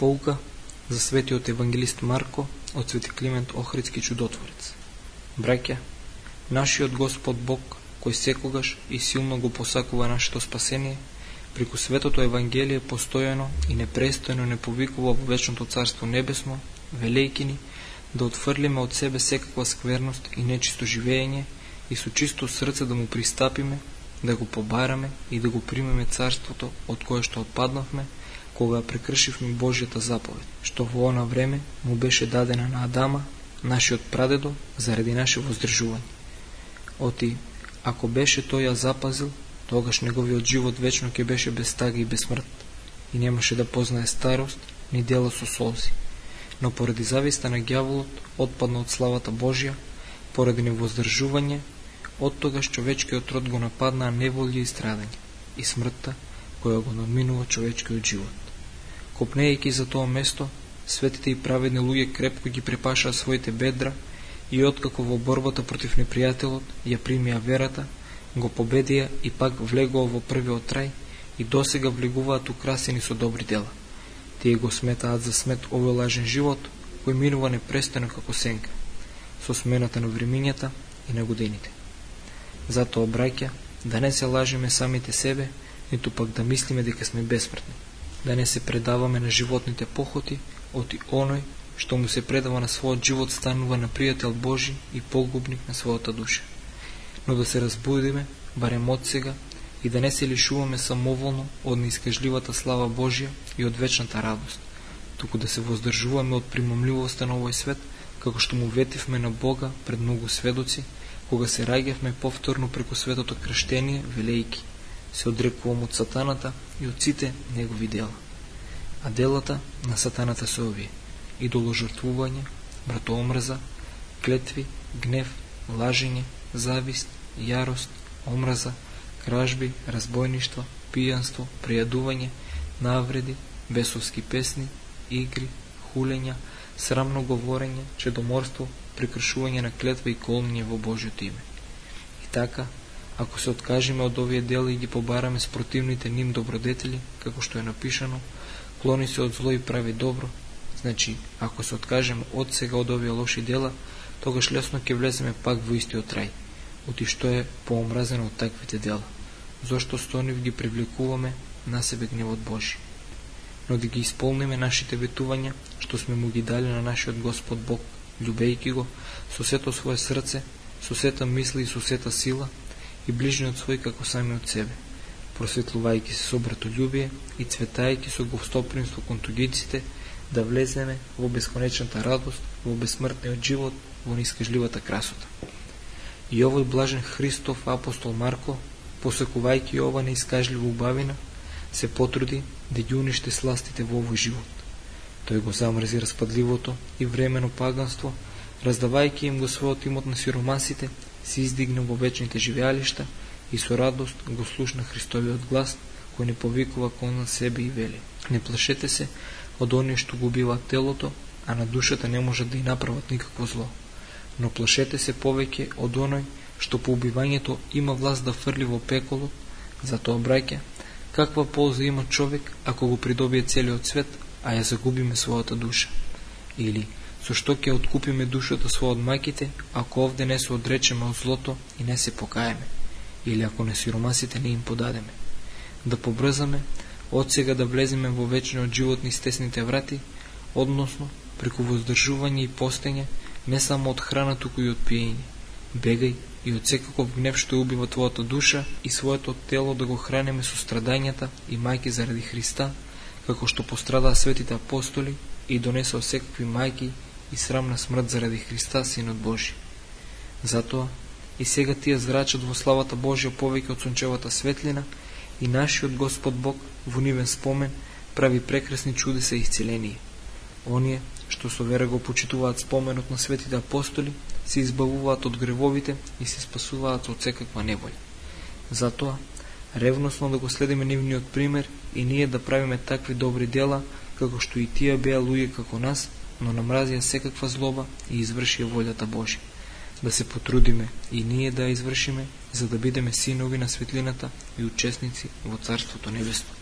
Поука за светиот евангелист Марко од Свети Климент Охридски чудотворец. Браќа, нашиот Господ Бог, кој секогаш и силно го посакува нашето спасение, преку светото Евангелие постојано и непрестојно не повикува во вечното Царство Небесно, велејки ни да отфрлиме од себе секаква скверност и нечисто живење и со чисто срце да му пристапиме, да го побараме и да го примеме Царството од кое што отпаднавме, кога прекршивме Божјата заповед, што во она време му беше дадена на Адама, нашиот прадедо, заради наше воздржување. Оти, ако беше тој ја запазил, тогаш неговиот живот вечно ќе беше без тага и без смрт, и немаше да познае старост, ни дела со солзи. Но поради зависта на ѓаволот, отпадна од славата Божја, поради невоздржување, оттогаш човечкиот род го нападнаа неволја и страдање, и смртта, која го надминува човечкиот живот. Копнејќи за тоа место, светите и праведни луѓе крепко ги препашаа своите бедра и откако во борбата против непријателот ја примија верата, го победија и пак влегува во првиот рај и досега влегуваат украсени со добри дела. Тие го сметаат за смет овој лажен живот, кој минува непрестојно како сенка, со смената на времињата и на годините. Затоа, браќа, да не се лажеме самите себе, ниту пак да мислиме дека сме бесмртни, да не се предаваме на животните похоти, оти оној што му се предава на својот живот станува на пријател Божи и погубник на својата душа. Но да се разбудиме, барем од сега, и да не се лишуваме самоволно од неискажливата слава Божја и од вечната радост, туку да се воздржуваме од примамливоста на овој свет, како што му ветивме на Бога пред многу сведоци, кога се раѓавме повторно преку светото крштение, велејки: се одрекувам од сатаната и од сите негови дела. А делата на сатаната се овие: идоложртвување, братоомрза, клетви, гнев, лажење, завист, јарост, омраза, кражби, разбойништва, пијанство, прејадување, навреди, бесовски песни, игри, хулења, срамно говорење, чедоморство, прекршување на клетва и колнење во Божјото име. И така, ако се откажеме од овие дела и ги побараме с противните ним добродетели, како што е напишано: клони се од зло и прави добро, значи, ако се откажеме од сега од овие лоши дела, тогаш лесно ќе влеземе пак во истиот рај, оти што е поомразено од таквите дела, зошто со нив ги привлекуваме на себе гневот Божи. Но да ги исполниме нашите ветувања, што сме му ги дали на нашиот Господ Бог, љубејќи го со сето свое срце, со сета мисли и со сета сила, и ближниот свој како самиот себе, просветлувајќи се со братолюбие и цветајќи со гостопримство кон туѓиците, да влеземе во бесконечната радост, во бесмртниот живот, во неискажливата красота. И овој блажен Христов апостол Марко, посекувајќи ова неискажлива убавина, се потруди да ги уништи сластите во овој живот. Тој го замрзи распадливото и времено паганство, раздавајќи им го својот имот на сиромасите, се издигна во вечните живеалишта и со радост го слушна Христовиот глас, кој не повикува кон себе и вели: не плашете се од оние што го убиваат телото, а на душата не можат да и направат никакво зло. Но плашете се повеќе од оној што по убивањето има власт да фрли во пеколот. Затоа, браќа, каква полза има човек ако го придобие целиот свет, а ја загубиме својата душа? Или со што ќе откупиме душата своја од мајките, ако овде не се одречеме од злото и не се покаеме? Или ако на сиромасите не им подадеме? Да побрзаме од сега да влеземе во вечниот живот низ тесните врати, односно преку воздржување и постење, не само од храна, туку и од пиење. Бегај и од секаков гнев што убива твојата душа и своето тело, да го хранеме со страдањата и мајки заради Христа, како што пострадаа светите апостоли и донесоа секакви мајки и срамна смрт заради Христа, Синот Божи. Затоа и сега тие зрачат во славата Божја повеќе од сончевата светлина, и нашиот Господ Бог во нивен спомен прави прекрасни чудеса и исцеление. Оние што со вера го почитуваат споменот на светите апостоли, се избавуваат од гревовите и се спасуваат од секаква неволја. Затоа, ревносно да го следиме нивниот пример и ние да правиме такви добри дела, како што и тие беа луѓе како нас, но намразија секаква злоба и извршија волјата Божја. Да се потрудиме и ние да ја извршиме, за да бидеме синови на светлината и учесници во Царството Небесно.